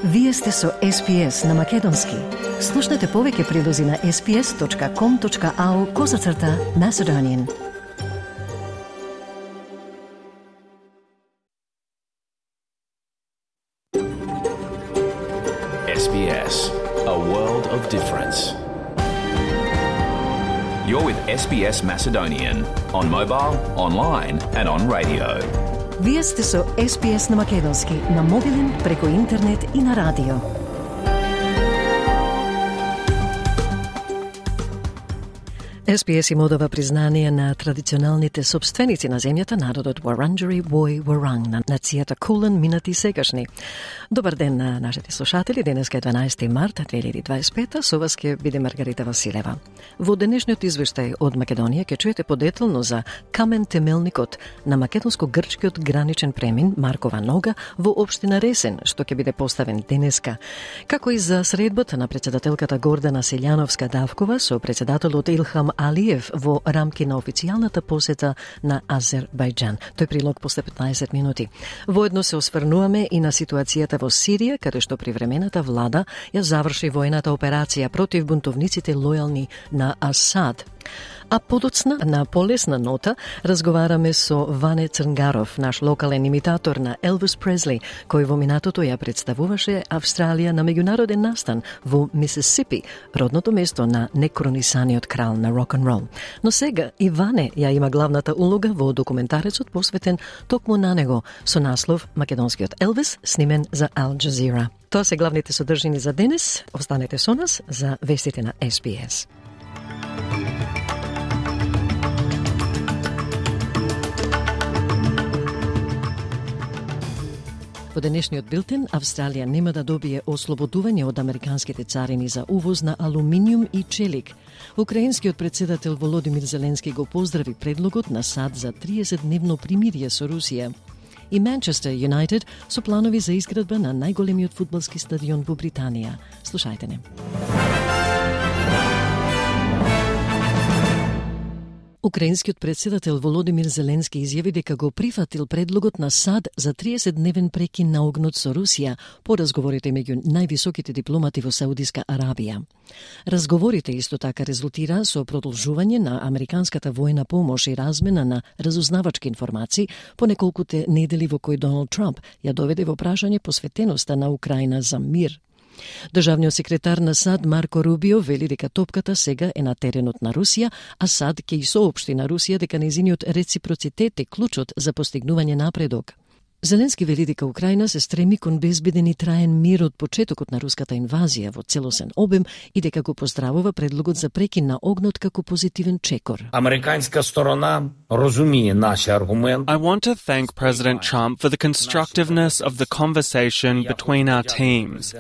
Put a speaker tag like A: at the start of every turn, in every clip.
A: Вие сте со SPS на Македонски. Слушнете повеќе прилози на sps.com.au/Macedonian.
B: SBS, a world of difference. You're with SBS Macedonian on mobile, online and on radio.
A: Вие сте со SPS на Македонски, на мобилен, преку интернет и на радио. SPS им одава признание на традиционалните собственици на земјата, народот Wurundjeri Woi Wurrung, на нацијата Кулен, минати и сегашни. Добар ден на нашите слушатели, денеска е 12 март 2025, со вас ќе биде Маргарита Василева. Во денешниот извештај од Македонија ќе чуете подетелно за камен темелникот на македонско-грчкиот граничен премин Маркова нога во општина Ресен, што ќе биде поставен денеска, како и за средбата на председателката Гордана Селјановска-Давкова со председателот Илхам Алиев во рамки на официјалната посета на Азербајџан. Тој прилог после 15 минути. Воедно се осврнуваме и на ситуацијата во Сирија, каде што привремената влада ја заврши војната операција против бунтовниците лојални на Асад. А подоцна, на полесна нота, разговараме со Ване Црнгаров, наш локален имитатор на Елвис Пресли, кој во минатото ја представуваше Австралија на меѓународен настан во Мисисипи, родното место на некронисаниот крал на рок-н-рол. Но сега и Ване ја има главната улога во документарецот посветен токму на него со наслов Македонскиот Елвис, снимен за Ал Джазира. Тоа се главните содржини за денес. Останете со нас за вестите на SPS. Во денешниот билтен, Австралија нема да добие ослободување од американските царини за увоз на алуминиум и челик. Украинскиот председател Володимир Зеленски го поздрави предлогот на САД за 30-дневно примирие со Русија. И Манчестер Юнайтед со планови за изградба на најголемиот фудбалски стадион во Британија. Слушајте не. Украинскиот председател Володимир Зеленски изјави дека го прифатил предлогот на САД за 30-дневен прекин на огнот со Русија по разговорите меѓу највисоките дипломати во Саудиска Арабија. Разговорите исто така резултира со продолжување на американската војна помош и размена на разузнавачки информации по неколкуте недели во кои Доналд Трамп ја доведе во прашање посветеноста на Украина за мир. Државниот секретар на САД Марко Рубио вели дека топката сега е на теренот на Русија, а САД ќе и соопшти на Русија дека нејзиниот реципроцитет е клучот за постигнување напредок. Зеленски вели дека Украина се стреми кон безбеден и траен мир од почетокот на руската инвазија во целосен обем и дека го поздравува предлогот за прекин на огнот како позитивен чекор.
C: Американска сторона разумее наш аргумент.
D: I want to thank President Trump for the constructiveness of the conversation between our teams.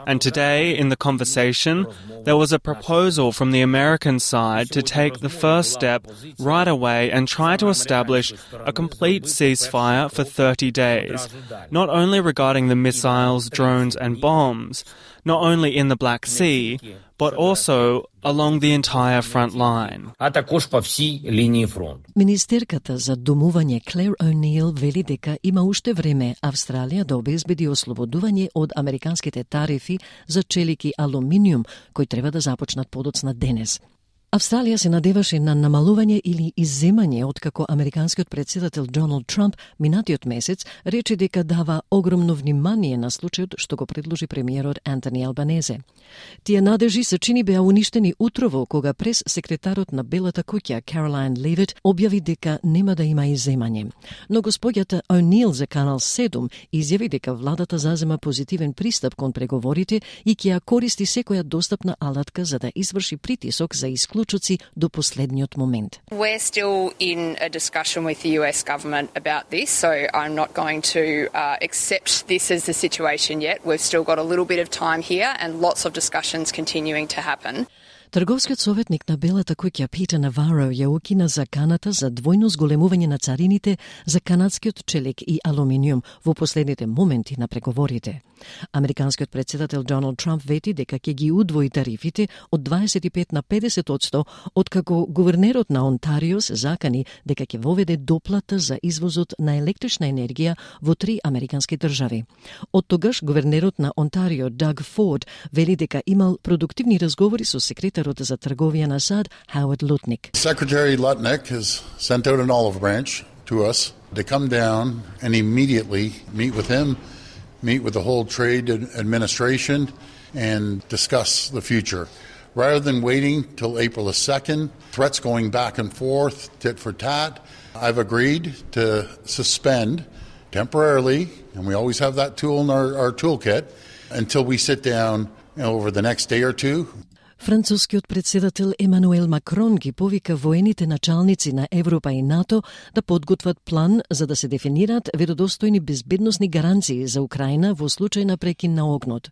D: And today, in the conversation, there was a proposal from the American side to take the first step right away and try to establish a complete ceasefire for 30 days. Not only regarding the missiles, drones and bombs, not only in the Black Sea, but also along the entire front line.
C: А також по всей линии фронта.
A: Министерката за домување Клер О'Нил вели дека има уште време Австралија да обезбеди ослободување од американските тарифи за челик и алуминиум, кои треба да започнат подоцна денес. Австралија се надеваше на намалување или изземање откако американскиот председател Доналд Трамп минатиот месец рече дека дава огромно внимание на случајот што го предложи премиерот Антони Албанезе. Тие надежи се чини беа уништени утрово кога прес секретарот на Белата куќа Каролайн Левит објави дека нема да има изземање. Но господјата О'Нил за Канал 7 изјави дека владата зазема позитивен пристап кон преговорите и ќе ја користи секоја достапна алатка за да изврши притисок за исклучоци до последниот момент.
E: We're still in a discussion with the US government about this, so I'm not going to accept this as the situation yet. We've still got a little bit of time here and lots of discussions continuing to happen.
A: Трговскиот советник на Белата куќа Питер Наваро ја укина заканата за двојно зголемување на царините за канадскиот челик и алуминиум во последните моменти на преговорите. Американскиот председател Доналд Трамп вети дека ќе ги удвои тарифите од 25 на 50%, откако гувернерот на Онтарио се закани дека ќе воведе доплата за извозот на електрична енергија во 3 американски држави. Од тогаш гувернерот на Онтарио Даг Форд вели дека имал продуктивни разговори со секретарот за трговија на САД Хауард Лутник.
F: Secretary Lutnick has sent out an olive branch to us to come down and immediately meet with him, meet with the whole trade administration and discuss the future. Rather than waiting till April the 2nd, threats going back and forth, tit for tat, I've agreed to suspend temporarily, and we always have that tool in our toolkit, until we sit down over the next day or two.
A: Францускиот председател Емануел Макрон ги повика воените началници на Европа и НАТО да подготват план за да се дефинираат веродостојни безбедносни гаранции за Украина во случај на прекин на огнот.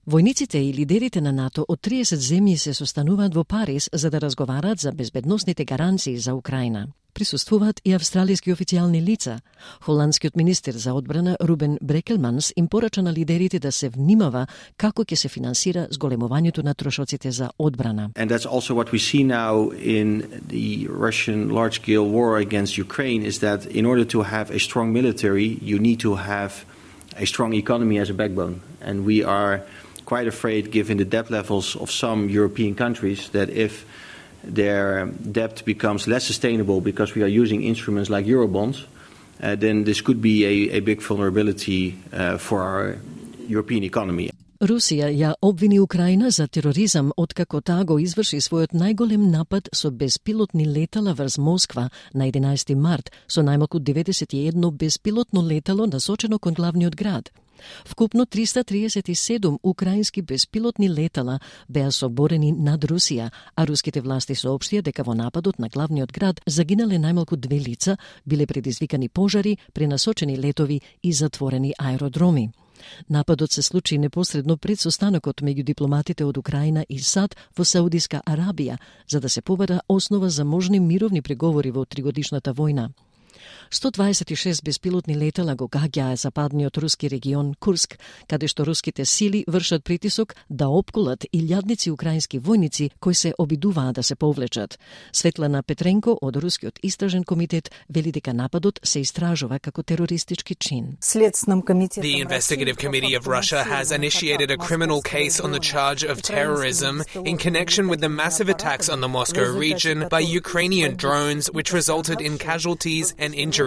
A: Војниците и лидерите на НАТО од 30 земји се состануваат во Париз за да разговараат за безбедносните гаранции за Украина. Присуствуваат и австралиски официјални лица. Холандскиот министер за одбрана Рубен Брекелманс им порача на лидерите да се внимава како ќе се финансира зголемувањето на трошоците за одбрана.
G: And that's also what we see now in the Russian large-scale war against Ukraine is that in order to have a strong military, you need to have a strong economy as a backbone. And we are quite afraid, given the debt levels of some European countries, that if their debt becomes less sustainable because we are using instruments like Eurobonds, then this could be a big vulnerability for our European economy.
A: Русија ја обвини Украина за тероризам откако таа го изврши својот најголем напад со беспилотни летала врз Москва на 11 март со најмалку 91 беспилотно летало насочено кон главниот град. Вкупно 337 украински беспилотни летала беа соборени над Русија, а руските власти соопштија дека во нападот на главниот град загинале најмалку 2 лица, биле предизвикани пожари, пренасочени летови и затворени аеродроми. Нападот се случи непосредно пред состанокот меѓу дипломатите од Украина и САД во Саудиска Арабија, за да се побара основа за можни мировни преговори во тригодишната војна. 126 беспилотни летала го гаѓаа западниот руски регион Курск, каде што руските сили вршат притисок да опколат илјадници украински војници кои се обидуваат да се повлечат. Светлана Петренко од Рускиот истражен комитет вели дека нападот се истражува како терористички чин.
H: The Investigative Committee of Russia has initiated a criminal case on the charge of terrorism in connection with the massive attacks on the Moscow region by Ukrainian drones which resulted in casualties and injuries.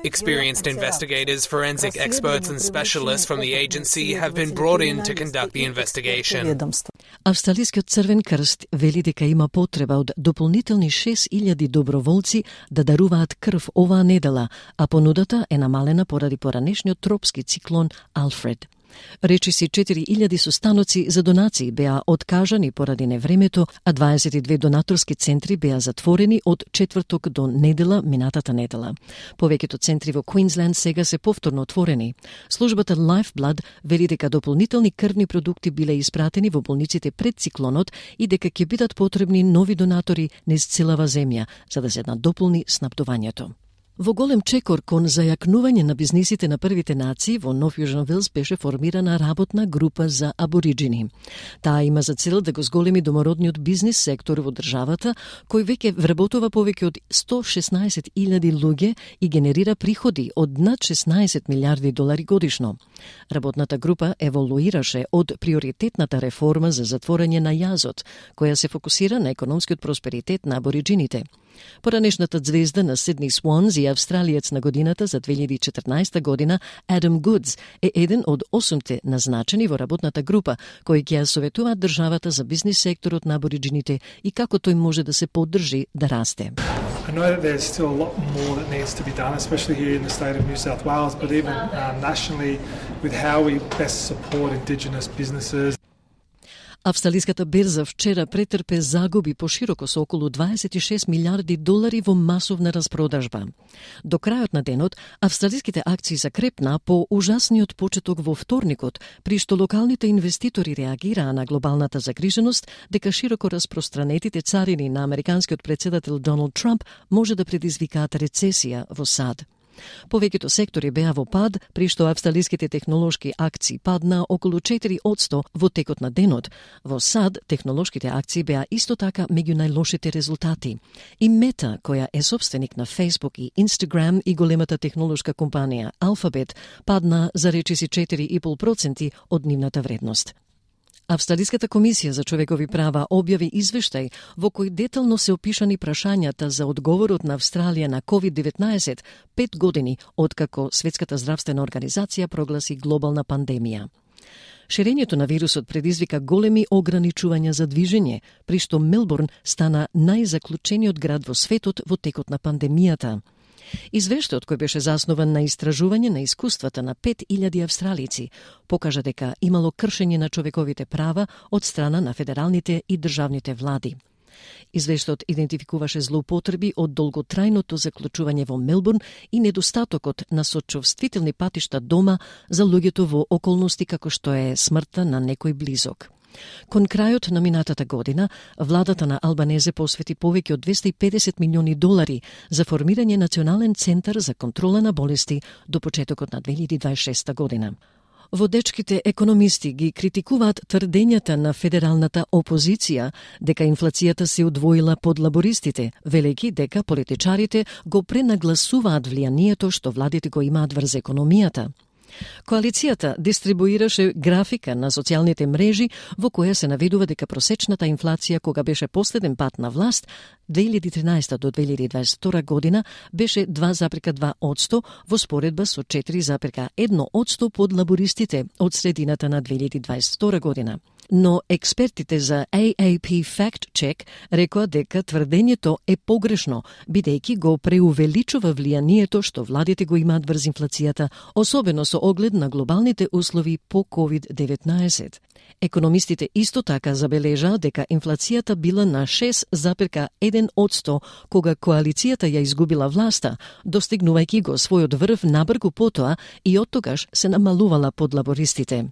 H: Experienced investigators, forensic experts and specialists from the agency have been brought in to conduct the investigation.
A: Австралискиот Црвен крст вели дека има потреба од дополнителни 6000 доброволци да даруваат крв оваа недела, а понудата е намалена поради поранешниот тропски циклон Алфред. Речиси 4000 состаноци за донации беа откажани поради невремето, а 22 донаторски центри беа затворени од четврток до недела минатата недела. Повеќето центри во Квинсленд сега се повторно отворени. Службата Lifeblood вели дека дополнителни крвни продукти биле испратени во болниците пред циклонот и дека ќе бидат потребни нови донатори низ целава земја за да се надополни снабдувањето. Во голем чекор кон зајакнување на бизнисите на првите нации во Нов Јужен Велс беше формирана работна група за абориджини. Таа има за цел да го зголеми домородниот бизнис сектор во државата, кој веќе вработува повеќе од 116.000 луѓе и генерира приходи од над 16 милиарди долари годишно. Работната група еволуираше од приоритетната реформа за затворање на јазот, која се фокусира на економскиот просперитет на абориджините. Поранешната звезда на Сидни Swans и австралиец на годината за 2014 година, Адам Гудс, е еден од 8 назначени во работната група, кои ќе ја советуваат државата за бизнис секторот на абориджините и како тој може да се поддржи да расте.
I: I know that there's still a lot more that needs to be done, especially here in the state of New South Wales, but even nationally with how we best support Indigenous businesses.
A: Австралиската берза вчера претрпе загуби пошироко со околу 26 милиарди долари во масовна распродажба. До крајот на денот, австралиските акции закрепна по ужасниот почеток во вторникот, при што локалните инвеститори реагираа на глобалната загриженост дека широко распространетите царини на американскиот председател Доналд Трамп може да предизвикаат рецесија во САД. Повеќето сектори беа во пад, при што австралиските технолошки акции падна околу 4% во текот на денот. Во САД, технолошките акции беа исто така меѓу најлошите резултати. И Мета, која е собственик на Facebook и Instagram и големата технолошка компанија Alphabet, падна за речиси 4,5% од нивната вредност. Австралиската комисија за човекови права објави извештај во кој детално се опишани прашањата за одговорот на Австралија на COVID-19 5 години откако Светската здравствена организација прогласи глобална пандемија. Ширењето на вирусот предизвика големи ограничувања за движење, при што Мелбурн стана најзаклучениот град во светот во текот на пандемијата. Извештајот, кој беше заснован на истражување на искуствата на 5000 австралици, покажа дека имало кршење на човековите права од страна на федералните и државните влади. Извештајот идентификуваше злоупотреби од долготрајното заклучување во Мелбурн и недостатокот на сочувствителни патишта дома за луѓето во околности како што е смртта на некој близок. Кон крајот на минатата година, владата на Албанезе посвети повеќе од 250 милиони долари за формирање национален центар за контрола на болести до почетокот на 2026 година. Водечките економисти ги критикуваат тврдењата на федералната опозиција дека инфлацијата се удвоила под лабористите, велејќи дека политичарите го пренагласуваат влијанието што владите го имаат врз економијата. Коалицијата дистрибуираше графика на социјалните мрежи во која се наведува дека просечната инфлација кога беше последен пат на власт 2013 до 2022 година беше 2,2% во споредба со 4,1% под лабористите од средината на 2022 година. Но експертите за AAP Fact Check рекоа дека тврдењето е погрешно, бидејќи го преувеличува влијанието што владите го имаат врз инфлацијата, особено со оглед на глобалните услови по COVID-19. Економистите исто така забележаа дека инфлацијата била на 6,1% кога коалицијата ја изгубила власта, достигнувајќи го својот врв набргу потоа и оттогаш се намалувала под лабористите.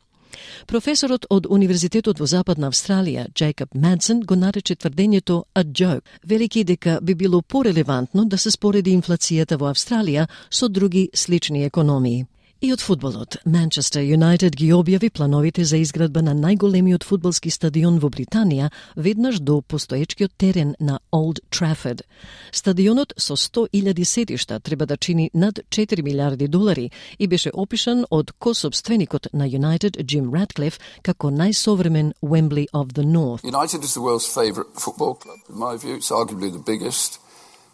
A: Професорот од Универзитетот во Западна Австралија, Джейкоб Мадсен, го нарече тврдењето a joke, велики дека би било порелевантно да се спореди инфлацијата во Австралија со други слични економии. И од фудбалот, Манчестер Юнайтед ги објави плановите за изградба на најголемиот фудбалски стадион во Британија, веднаш до постоечкиот терен на Old Trafford. Стадионот со 100.000 седишта треба да чини над 4 милиарди долари и беше опишан од кособственикот на Юнайтед Джим Ратклиф како најсовремен Wembley of the North.
J: United is the world's favourite football club. In my view, it's arguably the biggest,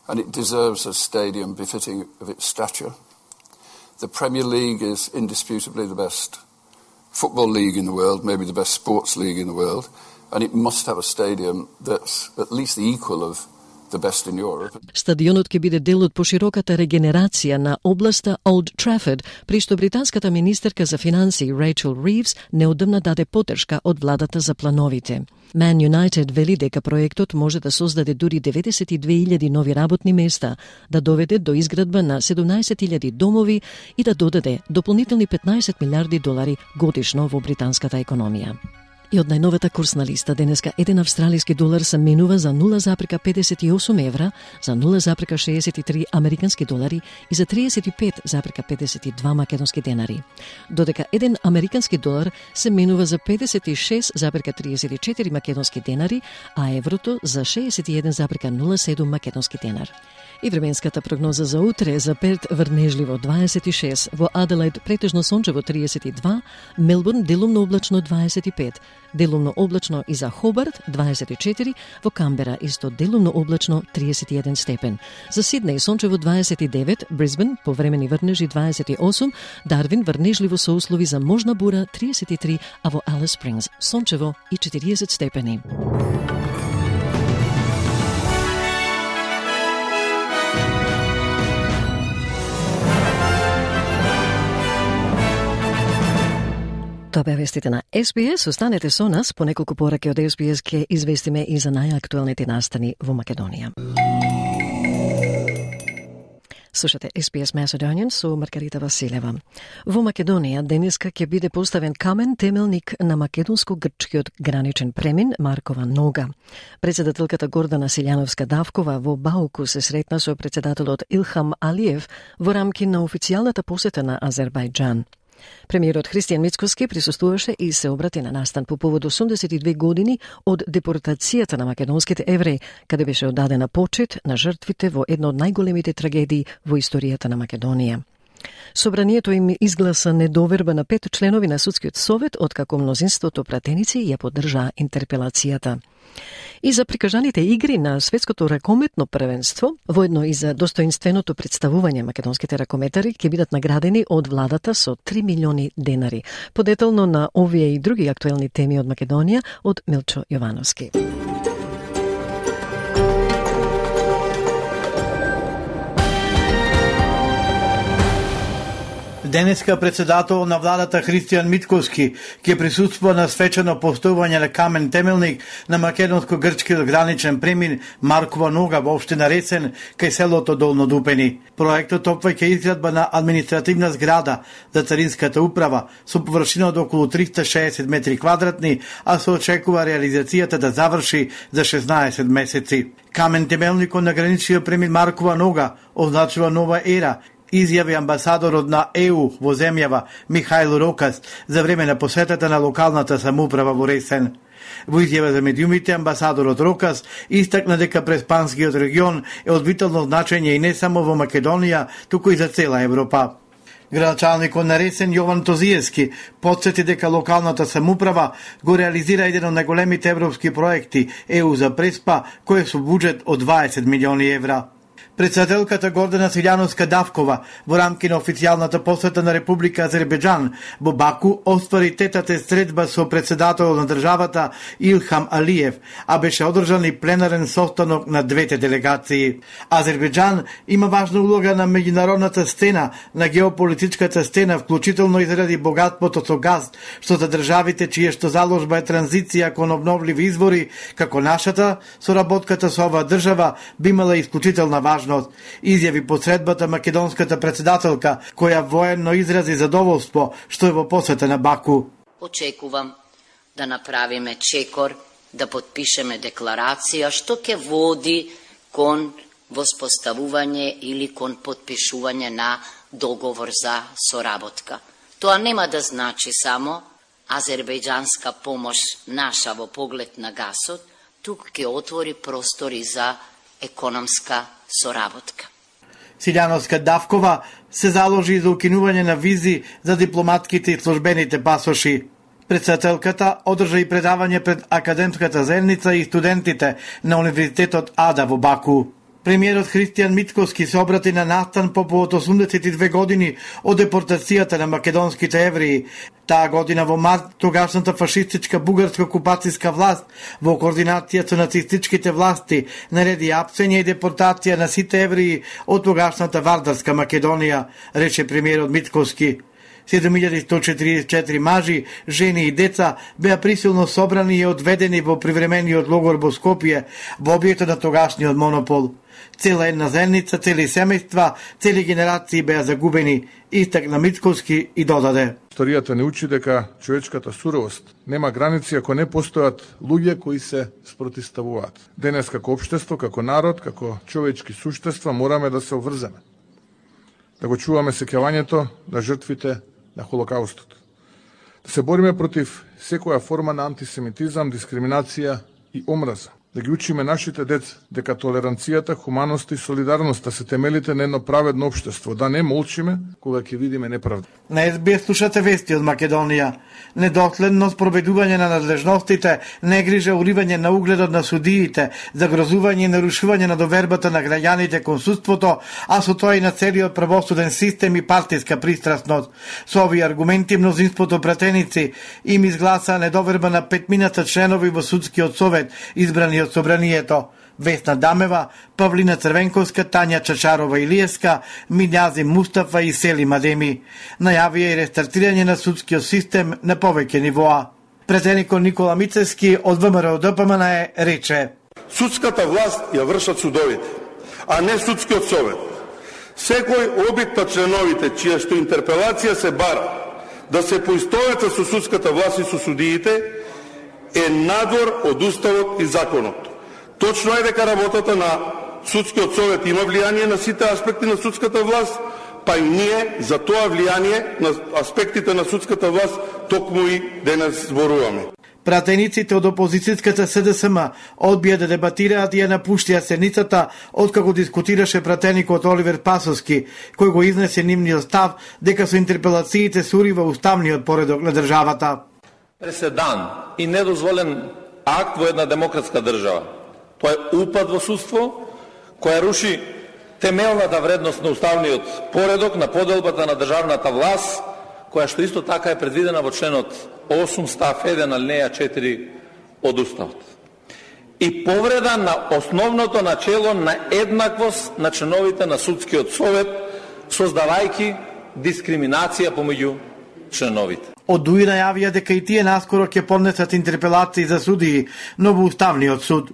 J: and it deserves a stadium befitting of its stature. The Premier League is indisputably the best football league in the world, maybe the best sports league in the world, and it must have a stadium that's at least the equal of the best in Europe.
A: Стадионот ќе биде дел од пошироката регенерација на областа Old Trafford, при што британската министерка за финансии Рейчел Ривс неодамна даде поддршка од владата за плановите. Man United вели дека проектот може да создаде дури 92.000 нови работни места, да доведе до изградба на 17.000 домови и да додаде дополнителни 15 милиарди долари годишно во британската економија. И од најновата курсна листа денеска 1 австралиски долар се менува за 0,58 евра, за 0,63 американски долари и за 35,52 македонски денари. Додека 1 американски долар се менува за 56,34 македонски денари, а еврото за 61,07 македонски денар. И временската прогноза за утре: за Перт врнежливо 26, во Аделаид претежно сончево 32, Мелбурн делумно облачно 25, делумно облачно и за Хобарт 24, во Камбера исто делумно облачно 31 степен. За Сиднеј сончево 29, Брисбен повремени врнежи 28, Дарвин врнежливо со услови за можна бура 33, а во Алис Спрингс сончево и 40 степени. Тоа беа вестите на SBS. Останете со нас, по неколку пораки од SBS ќе известиме и за најактуелните настани во Македонија. Слушате SBS Macedonian со Маргарита Василева. Во Македонија денеска ќе биде поставен камен темелник на македонско-грчкиот граничен премин Маркова нога. Председателката Гордана Силјановска-Давкова во Бауку се сретна со председателот Илхам Алиев во рамки на официјалната посета на Азербајџан. Премиерот Христијан Мицкоски присуствуваше и се обрати на настан по повод 82 години од депортацијата на македонските евреи, каде беше оддадена почит на жртвите во една од најголемите трагедии во историјата на Македонија. Собранието им изгласа недоверба на 5 членови на Судскиот совет, откако мнозинството пратеници ја поддржаа интерпелацијата. И за прикажаните игри на светското ракометно првенство, воедно и за достоинственото представување македонските ракометари ќе бидат наградени од владата со 3 милиони денари. Подетално на овие и други актуелни теми од Македонија од Милчо Јовановски.
K: Денеска председател на владата Христијан Мицкоски ќе присуствува на свечено поставување на камен темелник на македонско-грчкиот граничен премин Маркова нога во општина Ресен кај селото Долно Дупени. Проектот опфаќа изградба на административна зграда за царинската управа со површина од околу 360 метри квадратни, а се очекува реализацијата да заврши за 16 месеци. Камен темелникот на граничниот премин Маркова нога означува нова ера, изјави амбасадорот на ЕУ во земјава Михаил Рокас за време на посетата на локалната самоуправа во Ресен. Во изјава за медиумите, амбасадорот Рокас истакна дека Преспанскиот регион е од витално значење и не само во Македонија, туку и за цела Европа. Градоначалникот на Ресен Јован Тозиевски потсети дека локалната самоуправа го реализира еден од најголемите европски проекти ЕУ за Преспа, кој е со буџет од 20 милиони евра. Председателката Гордана Силјановска-Давкова во рамки на официјалната посета на Република Азербејџан во Баку оствари тетата средба со председателот на државата Илхам Алиев, а беше одржан и пленарен состанок на двете делегации. Азербејџан има важна улога на меѓународната сцена, на геополитичката сцена, вклучително и заради богатството со газ, што за државите чија што заложба е транзиција кон обновливи извори, како нашата, соработката со оваа држава би имала исклучителна важност, изјави по средбата македонската председателка, која военно изрази задоволство што е во посета на Баку.
L: Очекувам да направиме чекор, да подпишеме декларација што ќе води кон воспоставување или кон подпишување на договор за соработка. Тоа нема да значи само азербејџанска помош наша во поглед на гасот, тук ќе отвори простори за економска соработка.
K: Силјановска-Давкова се заложи за укинување на визи за дипломатските и службените пасоши. Председателката одржа и предавање пред академската заедница и студентите на Универзитетот Ада во Баку. Премиерот Христијан Мицкоски се обрати на настан по повод 82 години од депортацијата на македонските евреи. Таа година во март тогашната фашистичка бугарска окупацијска власт во координација со нацистичките власти нареди апсење и депортација на сите евреи од тогашната Вардарска Македонија, рече премиерот Мицкоски. 7144 мажи, жени и деца беа присилно собрани и одведени во привремениот логор во Скопје, во објектот на тогашниот монопол. Цела една заедница, цели семејства, цели генерации беа загубени, истакна Мицкоски и додаде.
M: Историјата не учи дека човечката суровост нема граници ако не постојат луѓе кои се спротивставуваат. Денес како општество, како народ, како човечки суштества мораме да се обврземе. Да го чуваме сеќавањето на жртвите на Холокаустот. Да се бориме против секоја форма на антисемитизам, дискриминација и омраза. Да ги учиме нашите деца дека толеранцијата, хуманоста и солидарноста се темелите на едно праведно општество, да не молчиме кога ќе видиме неправда.
K: На СБС слушате вести од Македонија. Недоследно спроведување на надлежностите, негрижа уривање на угледот на судиите, загрозување и нарушување на довербата на граѓаните кон судството, а со тоа и на целиот правосуден систем и партиска пристрасност. Со овие аргументи мнозинството пратеници им изгласа недоверба на 5 членови во Судскиот совет, избрани од собранието. Весна Дамева, Павлина Црвенковска, Тања Чачарова-Илиевска, Минјази Мустафа и Селим Адеми. Најавија и рестартирање на судскиот систем на повеќе нивоа. Претеникот Никола Мицевски од ВМРО ДПМН рече:
N: Судската власт ја вршат судовите, а не судскиот совет. Секој обид на членовите, чија што интерпелација се бара да се поистоветат со судската власт и со судиите, е надвор од уставот и законот. Точно е дека работата на судскиот совет има влијание на сите аспекти на судската власт, па и ние за тоа влијание на аспектите на судската власт токму и денес зборуваме.
K: Пратениците од опозицијската СДСМ одбија да дебатираат и ја напуштија седницата откако дискутираше пратеникот Оливер Пасовски, кој го изнесе нивниот став дека со интерпелациите се урива уставниот поредок на државата.
O: Преседан и недозволен акт во една демократска држава. Тоа е упад во судство, која руши темелната вредност на уставниот поредок, на поделбата на државната власт, која што исто така е предвидена во членот 8 став 1 алинеја 4 од уставот. И повреда на основното начело на еднаквост на членовите на судскиот совет, создавајќи дискриминација помеѓу членовите.
K: Од ДУИ најавија дека и тие наскоро ќе поднесат интерпелации за судии, но во Уставниот суд.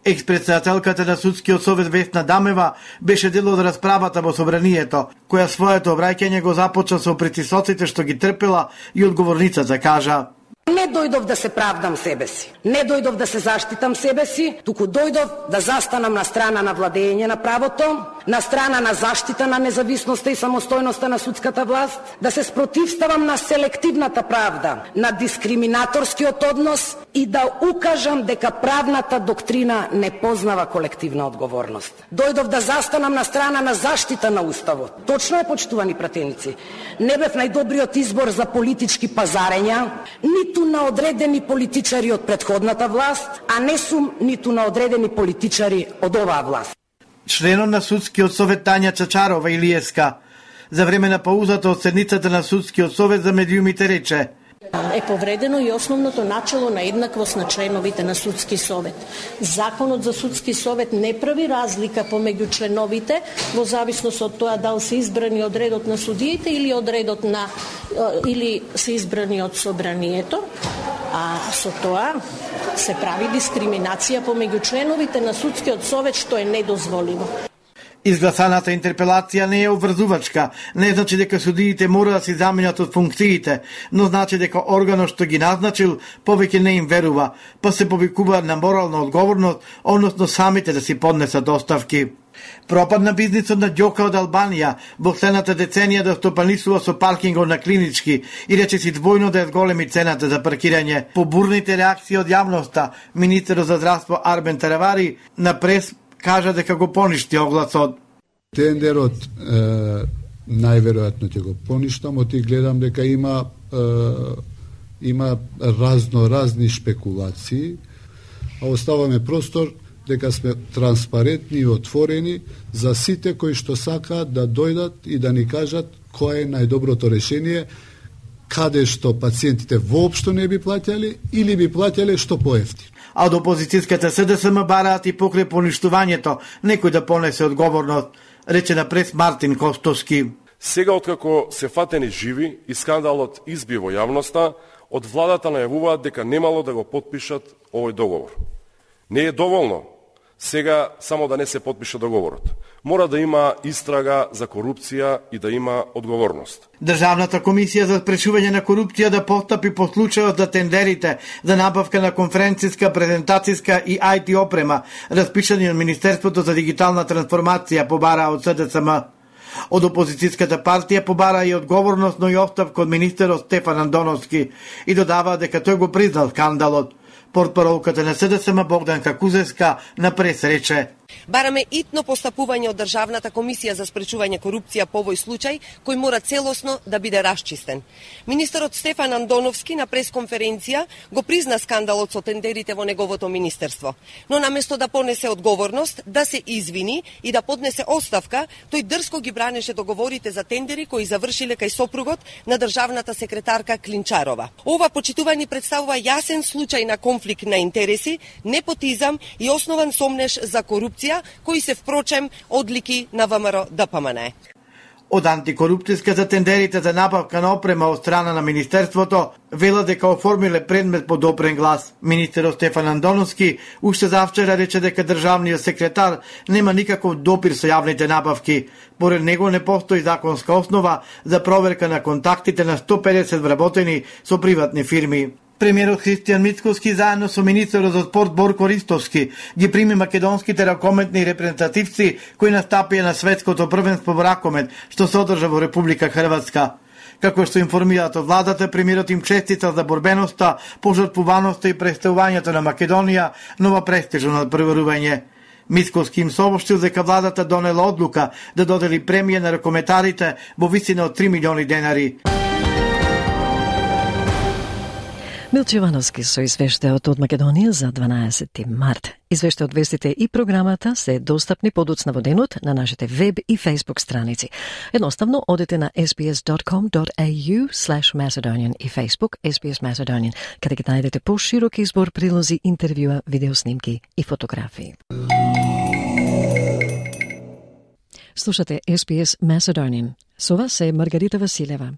K: Експредседателката на Судскиот совет Весна Дамева беше дел од расправата во собранието, која своето обраќање го започна со притисоците што ги трпела и одговорницата кажа:
P: Не дојдов да се правдам себе си, не дојдов да се заштитам себе си, туку дојдов да застанам на страна на владење на правото, на страна на заштита на независноста и самостојноста на судската власт, да се спротивставам на селективната правда, на дискриминаторскиот однос и да укажам дека правната доктрина не познава колективна одговорност. Дојдов да застанам на страна на заштита на уставот. Точно е, почитувани пратеници, не бев најдобриот избор за политички пазарења, ниту на одредени политичари од претходната власт, а не сум ниту на одредени политичари од оваа власт.
K: Членот на Судскиот совет Тања Чачарова-Илиевска за време на паузата од седницата на Судскиот совет за медиумите рече:
Q: Е повредено и основното начело на еднаквост на членовите на Судски совет. Законот за Судски совет не прави разлика помеѓу членовите во зависност од тоа дали се избрани од редот на судиите или од редот на или се избрани од собранието, а со тоа се прави дискриминација помеѓу членовите на Судскиот совет, што е недозволиво.
K: Изгласаната интерпелација не е обврзувачка, не значи дека судиите мора да се заменат од функциите, но значи дека органот што ги назначил повеќе не им верува, па се повикуваат на морална одговорност, односно самите да си поднесат оставки. Пропадна бизнисот на Ѓока од Албанија во следната деценија да стопанисува со паркингот на Клинички и речиси двојно да зголеми цената за паркирање. По бурните реакции од јавноста, министерот за здравство Арбен Таравари на прес кажа дека го поништи огласот.
R: Тендерот најверојатно ќе го поништам, оти гледам дека има разни шпекулации, а оставаме простор дека сме транспарентни и отворени за сите кои што сакаат да дојдат и да ни кажат кое е најдоброто решение, каде што пациентите воопшто не би плаќали или би плаќале што поевтино.
K: А од опозицијската СДСМ бараат и покрај поништувањето некој да понесе одговорност, рече на прес Мартин Костовски.
S: Сега откако се фатени живи и скандалот изби во јавноста, од владата најавуваат дека немало да го потпишат овој договор. Не е доволно сега само да не се потпише договорот. Мора да има истрага за корупција и да има одговорност.
K: Државната комисија за спречување на корупција да постапи по случајот за тендерите за набавка на конференцијска, презентацијска и IT опрема, распишани од Министерството за дигитална трансформација, побара од СДСМ. Од опозицијската партија побара и одговорност, но и оставка од министерот Стефан Андоновски и додава дека тој го признал скандалот. Портпаролката на СДСМ Богданка Кузевска на прес рече:
T: Бараме итно постапување од Државната комисија за спречување корупција по овој случај, кој мора целосно да биде расчистен. Министерот Стефан Андоновски на пресконференција го призна скандалот со тендерите во неговото министерство, но наместо да понесе одговорност, да се извини и да поднесе оставка, тој дрско ги бранеше договорите за тендери кои завршиле кај сопругот на државната секретарка Клинчарова. Ова почитување представува јасен случај на конфликт на интереси, непотизам и основан сомнеш за корупција, кои се впрочем одлики на ВМРО ДПМН.
K: Од антикорупцијска за тендерите за набавка на опрема од страна на Министерството, вела дека оформиле предмет по допрен глас. Министерот Стефан Андоновски уште завчера рече дека државниот секретар нема никаков допир со јавните набавки. Поред него не постои законска основа за проверка на контактите на 150 вработени со приватни фирми. Премиерот Христијан Мицкоски заедно со министерот за спорт Борко Ристовски ги прими македонските ракометни репрезентативци кои настапија на светското првенство во ракомет што се одржа во Република Хрватска. Како што информираат од владата, премиерот им честита за борбеноста, пожртвуваноста и представувањето на Македонија нова престижно надпреварување. Мицкоски им сообщил дека владата донела одлука да додели премија на ракометарите во висина од 3 милиони денари.
A: Милче Ивановски со извештајот од Македонија за 12 март. Извештај од вестите и програмата се достапни подоцна во денот на нашите веб и Facebook страници. Едноставно одете на sbs.com.au/Macedonian и Facebook SBS Macedonian, каде ќе најдете поширок избор прилози, интервјуа, видеоснимки и фотографии. Слушате SBS Macedonian. Со вас е Маргарита Василева.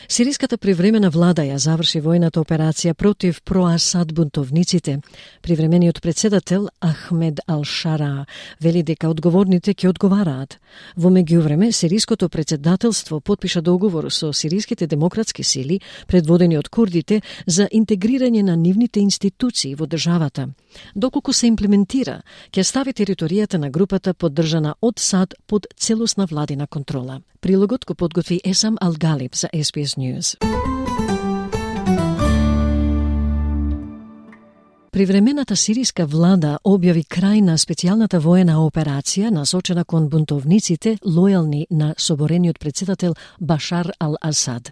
A: Сириската привремена влада ја заврши војната операција против про-Асад бунтовниците. Привремениот председател Ахмед Ал-Шара вели дека одговорните ќе одговараат. Во меѓувреме, сириското председателство потпиша договор со сириските демократски сили, предводени од курдите, за интегрирање на нивните институции во државата. Доколку се имплементира, ќе стави територијата на групата поддржана од САД под целосна владина контрола. Прилогот го подготви Есам Ал-Галиб за SBS News. Привремената сириска влада објави крај на специјалната воена операција насочена кон бунтовниците лојални на соборениот председател Башар Ал-Асад.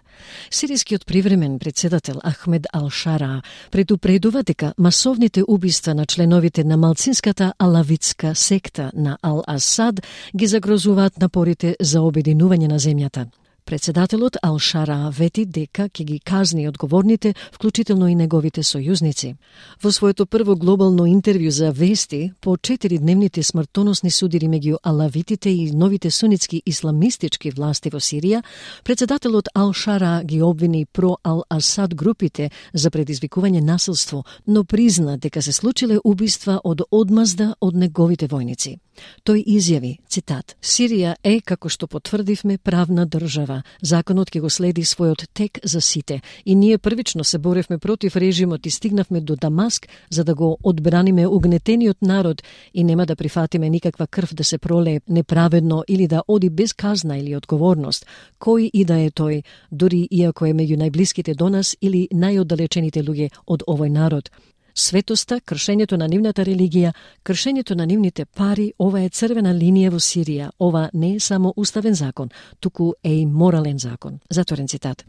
A: Сирискиот привремен председател Ахмед Ал-Шара предупредува дека масовните убиства на членовите на малцинската алавитска секта на Ал-Асад ги загрозуваат напорите за обединување на земјата. Председателот Ал-Шара вети дека ќе ги казни одговорните, вклучително и неговите сојузници. Во своето прво глобално интервју за вести по 4-дневните смртоносни судири меѓу алавитите и новите сунитски исламистички власти во Сирија, председателот Ал-Шара ги обвини про-Ал-Асад групите за предизвикување насилство, но призна дека се случиле убиства од одмазда од неговите војници. Тој изјави, цитат: "Сирија е, како што потврдивме, правна држава. Законот ќе го следи својот тек за сите и ние првично се боревме против режимот и стигнавме до Дамаск за да го одбраниме угнетениот народ и нема да прифатиме никаква крв да се пролее неправедно или да оди без казна или одговорност, кој и да е тој, дури иако е меѓу најблиските до нас или најоддалечените луѓе од овој народ. Светоста, кршењето на нивната религија, кршењето на нивните пари, ова е црвена линија во Сирија. Ова не е само уставен закон, туку е и морален закон." Затворен цитат.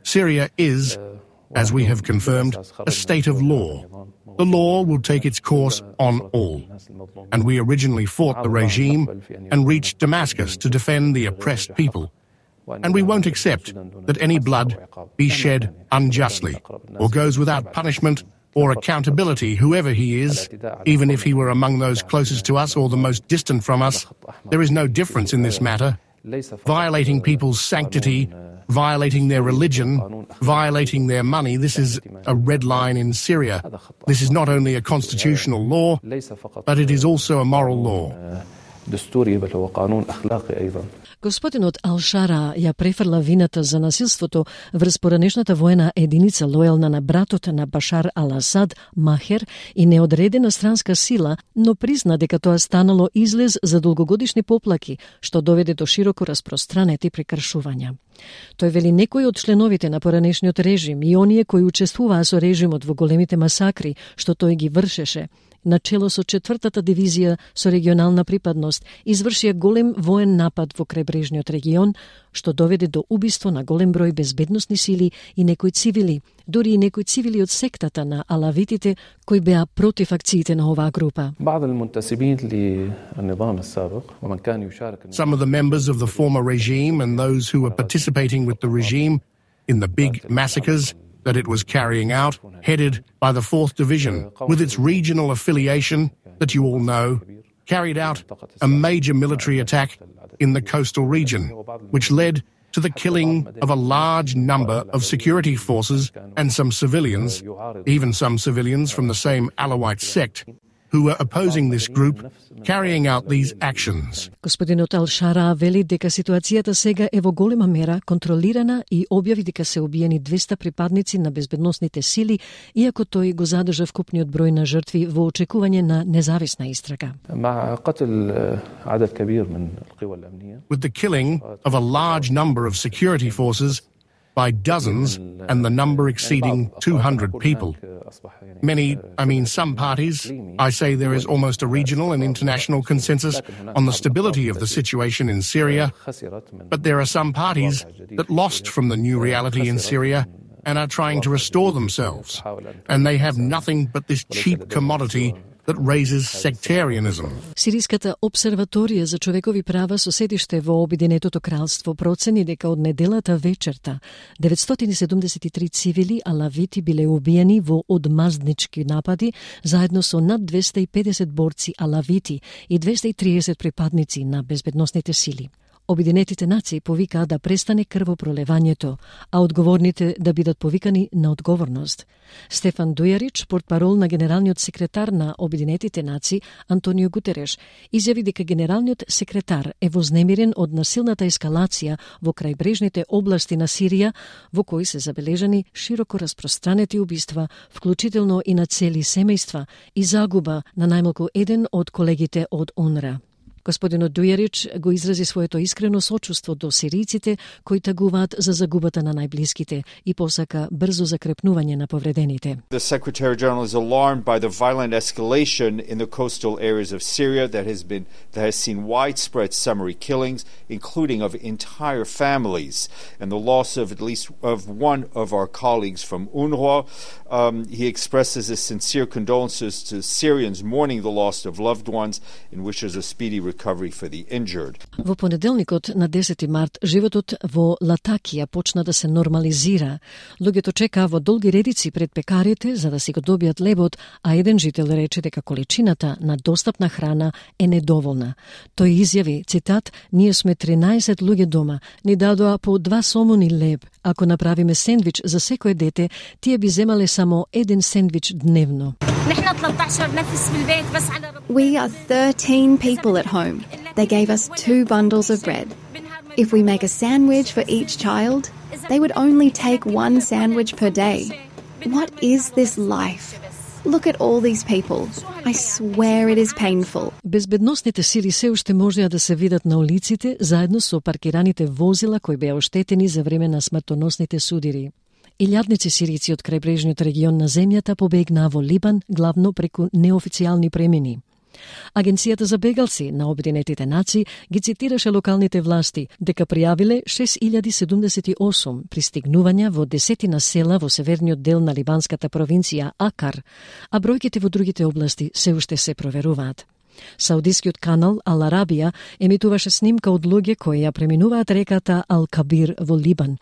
U: Syria is, as we have confirmed, a state of law. The law will take its course on all. And we originally fought the regime and reached Damascus to defend the oppressed people. And we won't accept that any blood be shed unjustly or goes without punishment or accountability, whoever he is, even if he were among those closest to us or the most distant from us. There is no difference in this matter. Violating people's sanctity, violating their religion, violating their money, this is a red line in Syria. This is not only a constitutional law, but it is also a moral law.
A: Господинот Ал-Шара ја префрла вината за насилството врз поранешната воена единица лојална на братот на Башар Ал-Асад, Махер, и неодредена странска сила, но призна дека тоа станало излез за долгогодишни поплаки, што доведе до широко распространети прекршувања. Тој вели некои од членовите на поранешниот режим и оние кои учествуваа со режимот во големите масакри што тој ги вршеше, начело со 4-та дивизија со регионална припадност, извршија голем воен напад во крајбрежниот регион, што доведе до убиство на голем број безбедносни сили и некои цивили, дури и некои цивили од сектата на алавитите кои беа против акциите на оваа група.
U: Some of the members of the former regime and those who were participating with the regime in the big massacres that it was carrying out, headed by the 4th Division, with its regional affiliation that you all know, carried out a major military attack in the coastal region, which led to the killing of a large number of security forces and some civilians, even some civilians from the same Alawite sect, who were opposing this group carrying out these actions.
A: Господинот Ал-Шара вели дека ситуацијата сега е во голема мера контролирана и објави дека се убиени 200 припадници на безбедносните сили, иако тој го задржа вкупниот број на жртви во очекување на независна истрага.
U: With the killing of a large number of security forces by dozens and the number exceeding 200 people. Some parties, I say there is almost a regional and international consensus on the stability of the situation in Syria, but there are some parties that lost from the new reality in Syria and are trying to restore themselves, and they have nothing but this cheap commodity that raises sectarianism.
A: Сириската обсерваторија за човекови права со седиште во Обединетото кралство процени дека од неделата вечерта 973 цивили алавити биле убиени во одмазднички напади заедно со над 250 борци алавити и 230 припадници на безбедносните сили. Обединетите нации повикаа да престане крвопролевањето, а одговорните да бидат повикани на одговорност. Стефан Дујарич, портпарол на генералниот секретар на Обединетите нации Антонио Гутереш, изјави дека генералниот секретар е вознемирен од насилната ескалација во крајбрежните области на Сирија, во кои се забележани широко распространети убиства, вклучително и на цели семејства, и загуба на најмалку еден од колегите од УНРА. Господинот Дујарич го изрази своето искрено сочувство до сиријците кои тагуваат за загубата на најблиските и посака брзо закрепнување на повредените.
B: The Secretary General is alarmed by the violent escalation in the coastal areas of Syria that has seen widespread summary killings, including of entire families, and the loss of at least of one of our colleagues from UNRWA. He expresses his sincere condolences to Syrians mourning the loss of loved ones and wishes a speedy recovery for the injured.
A: Во понеделникот на 10 март животот во Латакија почна да се нормализира. Луѓето чекаа во долги редици пред пекарите за да си го добијат лебот, а еден жител рече дека количината на достапна храна е недоволна. Тој изјави, цитат: "Ние сме 13 луѓе дома, ни дадоа по 2 сомуни леб. Ако направиме сендвич за секое дете, тие би земале само еден сендвич дневно."
V: We are 13 people at home. They gave us 2 bundles of bread. If we make a sandwich for each child, they would only take 1 sandwich per day. What is this life? Look at all these people. I swear it is painful.
A: Безбедносните сили се уште можеа да се видат на улиците заедно со паркираните возила кои беа оштетени за време на смртоносните судири. Илјадници сирици од крајбрежниот регион на земјата побегнаа во Либан, главно преку неофицијални премини. Агенцијата за бегалци на Обединетите нации ги цитираше локалните власти дека пријавиле 6078 пристигнувања во 10 села во северниот дел на либанската провинција Акар, а бројките во другите области се уште се проверуваат. Саудискиот канал Ал Арабија емитуваше снимка од луѓе кои ја преминуваат реката Ал Кабир во Либан.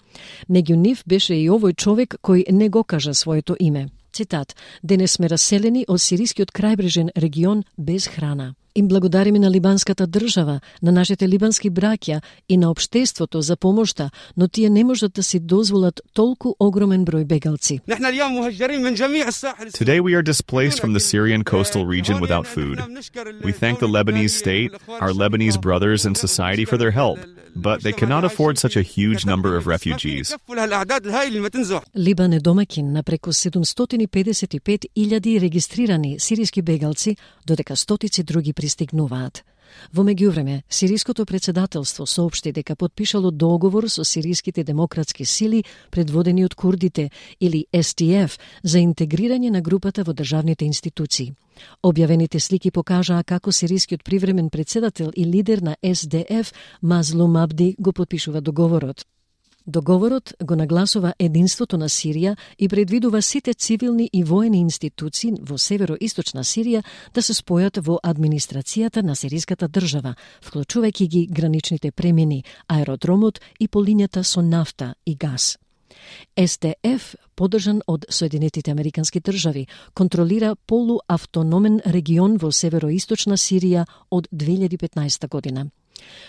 A: Меѓу нив беше и овој човек кој не го кажа своето име. Цитат: "Денес сме раселени од сирискиот крајбрежен регион без храна. Им благодариме на либанската држава, на нашите либански браќа и на општеството за помошта, но тие не можат да си дозволат толку огромен број бегалци."
W: Today we are displaced from the Syrian coastal region without food. We thank the Lebanese state, our Lebanese brothers and society for their help, but they cannot afford such a huge number of refugees.
A: Либан е домаќин на преку 755.000 регистрирани сириски бегалци, додека стотици други пристигнуваат. Во меѓувреме, сириското председателство соопшти дека потпишало договор со сириските демократски сили предводени од курдите или SDF за интегрирање на групата во државните институции. Објавените слики покажаа како сирискиот привремен председател и лидер на SDF Мазлум Абди го потпишува договорот. Договорот го нагласува единството на Сирија и предвидува сите цивилни и воени институции во североисточна Сирија да се спојат во администрацијата на сириската држава, вклучувајќи ги граничните премини, аеродромот и полињата со нафта и газ. SDF, поддржан од Соединетите Американски држави, контролира полуавтономен регион во североисточна Сирија од 2015 година.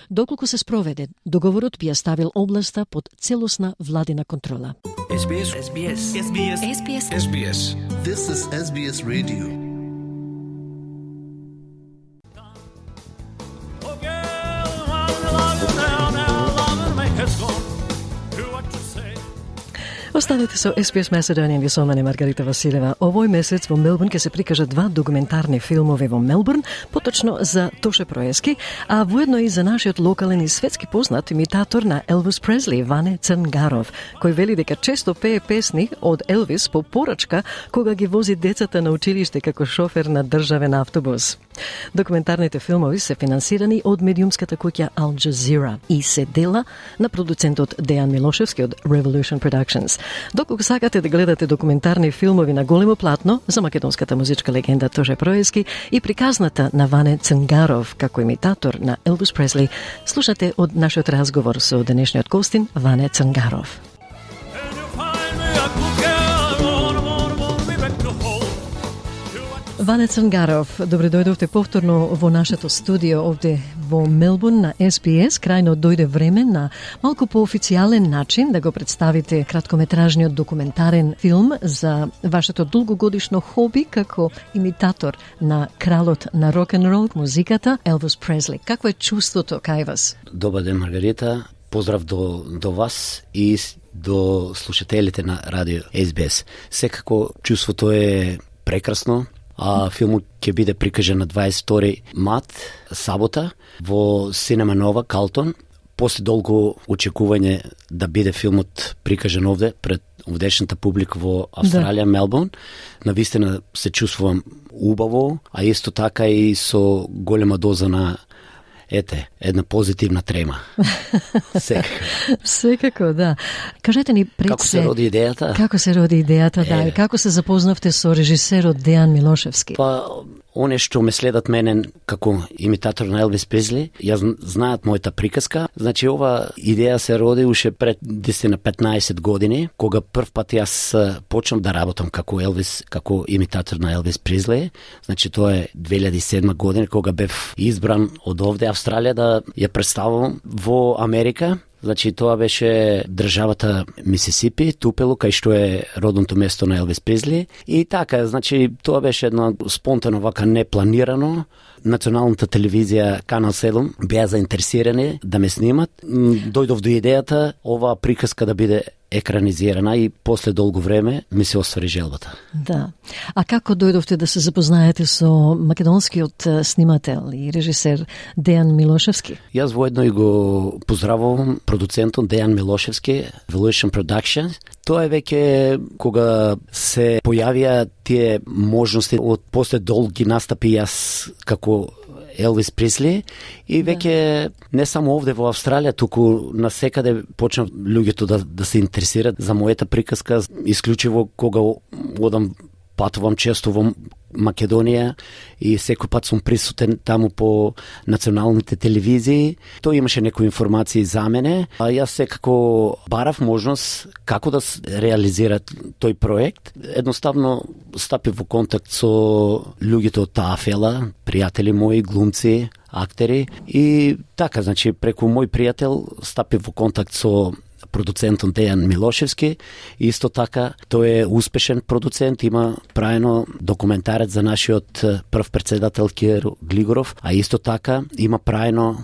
A: Доколку се спроведе, договорот би ја ставил областа под целосна владина контрола.
C: SBS. This is SBS Radio.
A: Останете со SBS Macedonian, ви со мене Маргарита Василева. Овој месец во Мелбурн ќе се прикажат 2 документарни филмови во Мелбурн, поточно за Тоше Проески, а воедно и за нашиот локален и светски познат имитатор на Елвис Пресли, Ване Цангаров, кој вели дека често пее песни од Елвис по порачка кога ги вози децата на училиште како шофер на државен автобус. Документарните филмови се финансирани од медиумската куќа Al Jazeera и се дела на продуцентот Дејан Милошевски од Revolution Productions. Доколку сакате да гледате документарни филмови на големо платно за македонската музичка легенда Тоше Проески и приказната на Ване Цангаров како имитатор на Елвис Пресли, слушате од нашиот разговор со денешниот гостин Ване Цангаров. Ване Цангаров, добре дојдовте повторно во нашето студио овде во Мелбурн на SBS. Крајно дојде време на малку по-официјален начин да го представите краткометражниот документарен филм за вашето долгогодишно хоби како имитатор на кралот на рок-н-рол музиката Елвис Пресли. Какво е чувството кај вас?
D: Добар ден, Маргарита. Поздрав до вас и до слушателите на радио SBS. Секако чувството е прекрасно. Филмот ќе биде прикажан на 22 март, сабота, во Синема Нова, Калтон. После долго очекување да биде филмот прикажан овде, пред овдешната публика во Австралија, Мелбурн. Навистина се чувствувам убаво, а исто така и со голема доза на една позитивна трема.
A: Секако, да. Кажете ни пред
D: како се роди идејата?
A: Како се роди идејата, да, и како се запознавте со режисерот Дејан Милошевски?
D: Оне што ме следат мене како имитатор на Елвис Пресли, ја знаат мојата приказка. Значи, ова идеја се роди уште пред 10-15 години, кога прв пат јас почнав да работам како Елвис, како имитатор на Елвис Пресли. Значи, тоа е 2007 година, кога бев избран од овде Австралија да ја представам во Америка. Значи, тоа беше државата Мисисипи, Тупело, кај што е родното место на Елвис Пресли. И така, значи, тоа беше едно спонтано, вака непланирано. Националната телевизија Канал 7 беа заинтересирани да ме снимат. Дојдов до идејата оваа приказка да биде екранизирана и после долго време ми се оствари желбата.
A: Да. А како дојдовте да се запознаете со македонскиот снимател и режисер Дејан Милошевски?
D: Јас воедно и го поздравувам продуцентот Дејан Милошевски, Revolution Productions. Тоа е веќе кога се појавија тие можности од после долги настапи јас како Елвис Пресли и веќе не само овде во Австралија, туку насекаде почнав луѓето да се интересираат за мојата приказка, исклучиво кога одам патувам често во Македонија и секој пат сум присутен таму по националните телевизии. Тој имаше некои информации за мене, а јас секако барав можност како да реализира тој проект. Едноставно стапив во контакт со луѓето од таа фела, пријатели мои, глумци, актери и така, значи преку мој пријател стапив во контакт со продуцентот Дејан Милошевски. Исто така, тој е успешен продуцент, има правено документарец за нашиот прв председател Киро Глигоров, а исто така има правено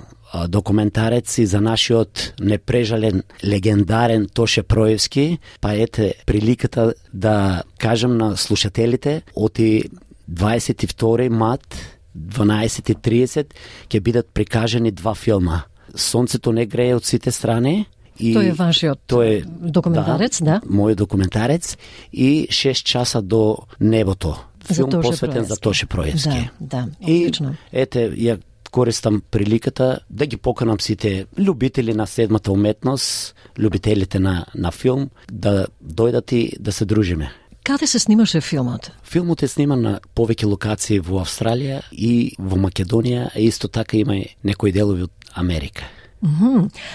D: документарец и за нашиот непрежален, легендарен Тоше Проевски. Па ете приликата да кажам на слушателите, оти 22 март 12:30 ќе бидат прикажани 2 филма. Сонцето не грее од сите страни. И
A: тој е вашиот документарец, да?
D: Мојот документарец и 6 часа до небото. Филм посветен за Тоше Проевски.
A: Да, одлично.
D: И ја користам приликата да ги поканам сите љубители на седмата уметност, љубителите на филм, да дојдат и да се дружиме.
A: Каде се снимаше филмот?
D: Филмот е сниман на повеќе локации во Австралија и во Македонија, а исто така има и некои делови од Америка.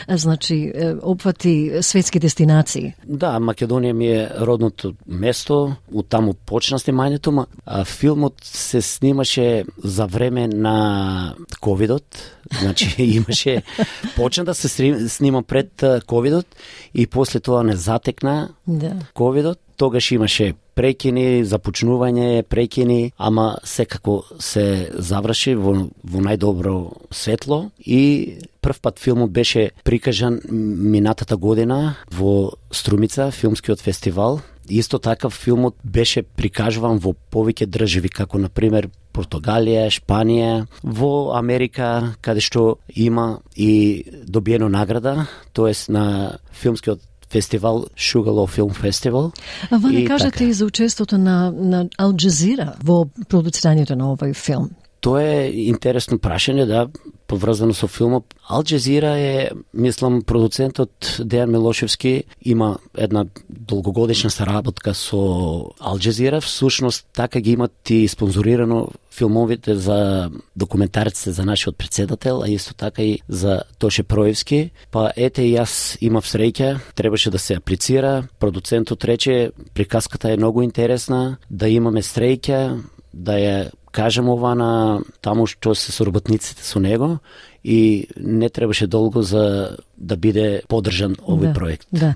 A: Значи, опфати светски дестинации.
D: Да, Македонија ми е родното место, од таму почна снимањето, а филмот се снимаше за време на ковидот, значи имаше, почна да се снима пред ковидот и после тоа не затекна ковидот. Тогаш имаше прекини, започнување, прекини, ама секако се заврши во најдобро светло и прв пат филмот беше прикажан минатата година во Струмица, филмскиот фестивал. Исто така филмот беше прикажуван во повеќе држави, како например Португалија, Шпанија, во Америка, каде што има и добиено награда, тоест на филмскиот фестивал Sugarloaf Film Festival.
A: А вие кажете и за учеството на Ал Джазира во продуцирањето на овој филм.
D: Тоа е интересно прашање, да, поврзано со филмот. Ал Джазира е, мислам, продуцентот Дејан Милошевски има една долгогодишна соработка со Ал Джазира. Всушност, така ги имат и спонзорирано филмовите за документарците за нашиот председател, а исто така и за Тоше Проевски. Па ете и јас имав среќа, требаше да се аплицира. Продуцентот рече, приказката е многу интересна, да имаме среќа, да ја кажем ова на таму што се соработниците со него и не требаше долго за да биде поддржан овој проект.
A: Да.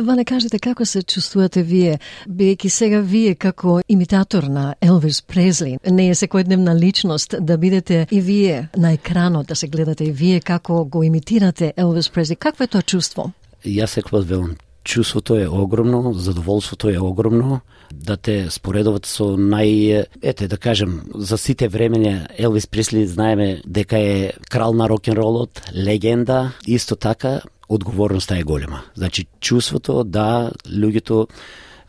A: Ване, кажете како се чувствувате вие, бидејќи сега вие како имитатор на Елвис Пресли, не е секојдневна личност да бидете и вие на екранот, да се гледате и вие како го имитирате Елвис Пресли. Какво е тоа чувство?
D: Јас секогаш велам, чувството е огромно, задоволството е огромно, да те споредуват со да кажем, за сите времења Елвис Пресли знаеме дека е крал на рок-н-ролот, легенда, исто така одговорноста е голема. Значи чувството да луѓето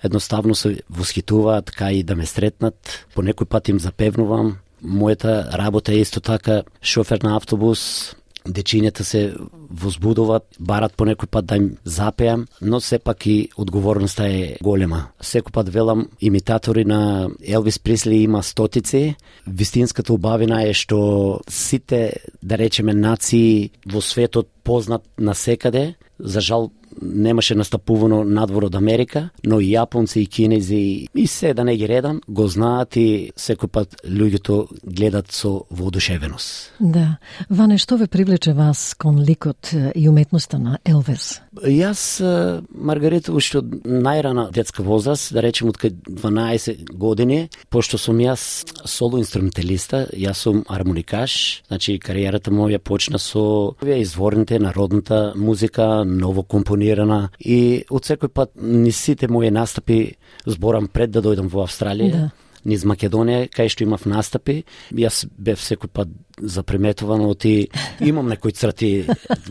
D: едноставно се восхитуваат, така и да ме сретнат, по некој пат им запевнувам. Мојата работа е исто така шофер на автобус, дечињата се возбудуваат, барат по некој пат да им запеам, но сепак и одговорноста е голема. Секој пат велам, имитатори на Елвис Пресли има стотици. Вистинската убавина е што сите, да речеме, нации во светот познат насекаде. За жал немаше настапувано надвор од Америка, но и јапонци и кинези и се да не ги редам, го знаат и секој пат луѓето гледат со воодушевеност.
A: Да. Ване, што ве привлече вас кон ликот и уметноста на Елвис?
D: Јас, Маргарита, уште од најрана детска возраст, да речем од 12 години, пошто сум јас соло инструменталиста, јас сум армоникаш, значи кариерата моја почна со изворните народната музика, ново компонирана и од секој пат низ сите мои настапи зборам пред да дојдам во Австралија, низ Македонија, кај што имав настапи, јас бев секој пат заприметуван оти, имам некои црти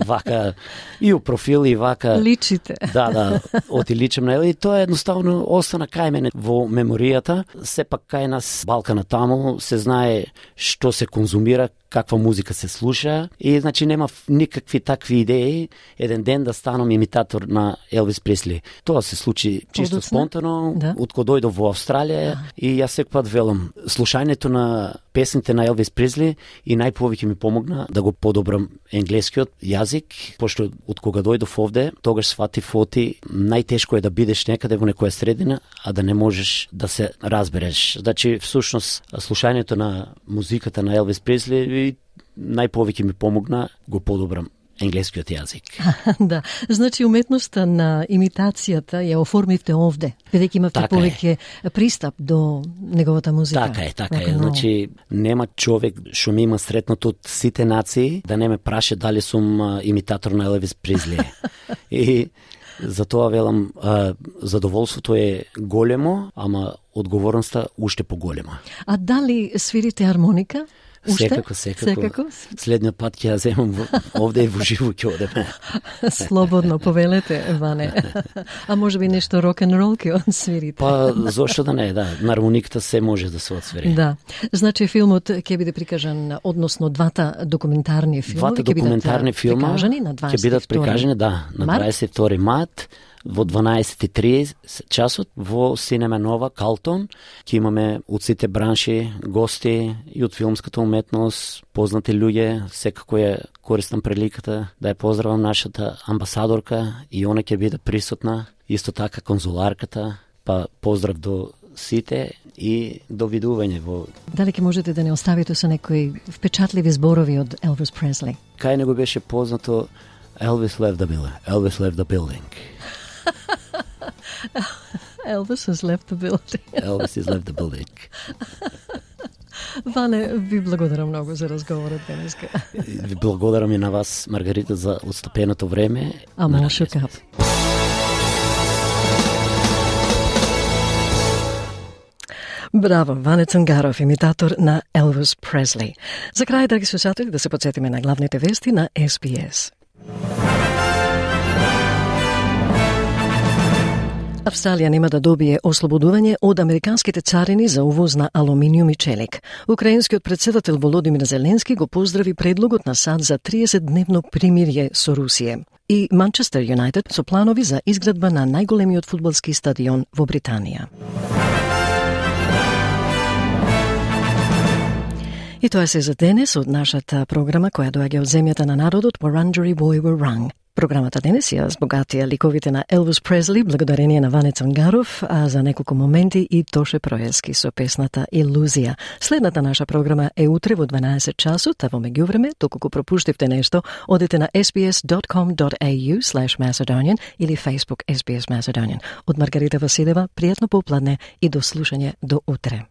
D: вака и у профил и вака.
A: Личите.
D: Да, оти личам на и тоа едноставно остана кај мене во меморијата. Сепак кај нас Балкана таму се знае што се конзумира, каква музика се слуша и значи нема никакви такви идеи еден ден да станам имитатор на Елвис Пресли. Тоа се случи чисто спонтано, од кога дојдов во Австралија и јас секој пат велам, слушањето на песните на Елвис Пресли и најповеќе ми помогна да го подобрам енглескиот јазик, пошто од кога дојдов овде, тогаш сватив оти најтешко е да бидеш некаде во некоја средина, а да не можеш да се разбереш. Значи, всушност, слушањето на музиката на Елвис Пресли и најповеќе ми помогна го подобрам енглескиот јазик.
A: Да, значи уметноста на имитацијата ја оформивте овде, бидејќи имавте повеќе пристап до неговата музика.
D: Така е. Значи нема човек што ми има сретнато од сите нации да не ме праше дали сум имитатор на Елвис Пресли. И за тоа велам, задоволството е големо, ама одговорноста уште поголема.
A: А дали свирите армоника?
D: Секако. Следниот пат ќе ја земам овде и во живо ќе одеме.
A: Слободно, повелете, Ване. А може би нешто рок-н-рол ќе одсвирите?
D: Па, зошто да не, да. На армониката се може да се одсвири.
A: Да. Значи, филмот ќе биде прикажан, односно двата документарни филми ќе
D: бидат прикажани, на 22 март, во 12:30 часот во Синема Нова Калтон. Ќе имаме од сите бранши гости и од филмската уметност, познати луѓе. Секако е користам приликата да ја поздравам нашата амбасадорка и она ќе биде присутна, исто така конзуларката. Па поздрав до сите и до видување во...
A: Дали ќе можете да не оставите со некои впечатливи зборови од Елвис Пресли?
D: Кај него беше познато Elvis left the building. Elvis left the building.
A: Elvis has left the building.
D: Elvis has left the building.
A: Ване, ви благодарам многу за разговорот денеска.
D: Ви благодарам и на вас, Маргарита, за отстапеното време.
A: Ама шукап. Браво, Ване Цангаров, имитатор на Елвис Пресли. За крај, драги слушатели, да се подсетиме на главните вести на SBS. Австралија нема да добие ослободување од американските царини за увоз на алуминиум и челик. Украинскиот претседател Володимир Зеленски го поздрави предлогот на САД за 30-дневно примирје со Русија. И Манчестер Юнайтед со планови за изградба на најголемиот фудбалски стадион во Британија. И тоа се за денес од нашата програма која доаѓа од земјата на народот Wurundjeri Woi Wurrung. Програмата денес ја збогатија ликовите на Елвис Пресли благодарение на Ване Цангаров, а за неколку моменти и Тоше Проески со песната Илузија. Следната наша програма е утре во 12 часот, а во меѓувреме, доколку пропуштивте нешто, одете на sbs.com.au/Macedonian или Facebook SBS Macedonian. Од Маргарита Василева, пријатно попладне и до слушање до утре.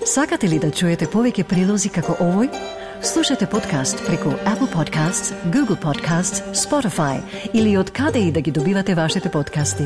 A: Сакате ли да чуете повеќе прилози како овој? Слушате подкаст преку Apple Podcasts, Google Podcasts, Spotify или од каде и да ги добивате вашите подкасти.